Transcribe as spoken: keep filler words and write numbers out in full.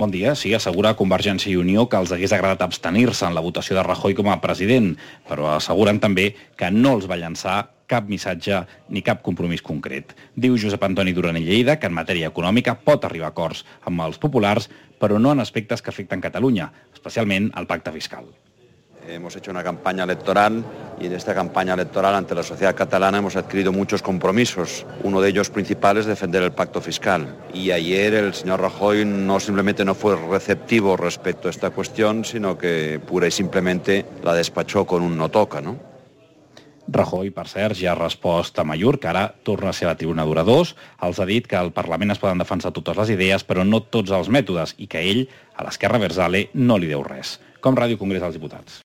Bon dia. Sí, assegura Convergència i Unió que els hagués agradat abstenir-se en la votació de Rajoy com a president, però asseguren també que no els va llançar cap missatge ni cap compromís concret. Diu Josep Antoni Duran i Lleida que en matèria econòmica pot arribar a acords amb els populars, però no en aspectes que afecten Catalunya, especialment el pacte fiscal. Hemos hecho una campaña electoral y en esta campaña electoral ante la sociedad catalana hemos adquirido muchos compromisos. Uno de ellos principal es defender el pacto fiscal. Y ayer el señor Rajoy no simplemente no fue receptivo respecto a esta cuestión, sino que pura y simplemente la despachó con un no toca, ¿no? Rajoy, per cert, ja ha respost a Amaiur, que ara torna a ser a la tribuna d'oradors. Els ha dit que al Parlament es poden defensar totes les idees, però no tots els mètodes, i que ell, a l'esquerra versale, no li deu res. Com Ràdio Congrés dels Diputats.